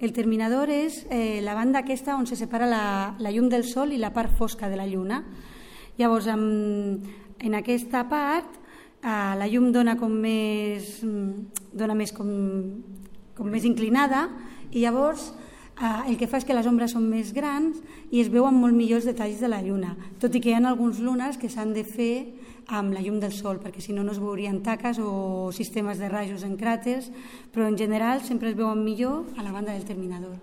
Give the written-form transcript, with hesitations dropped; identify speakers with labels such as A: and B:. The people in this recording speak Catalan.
A: El terminador és la banda aquesta on se separa la llum del sol i la part fosca de la lluna. Llavors, en aquesta part, la llum dona més inclinada i llavors el que fa és que les ombres són més grans i es veuen molt millors detalls de la lluna, tot i que hi ha alguns lunars que s'han de fer amb la llum del sol, perquè si no no es veurien taques o sistemes de rajos en cràters, però en general sempre es veuen millor a la banda del terminador.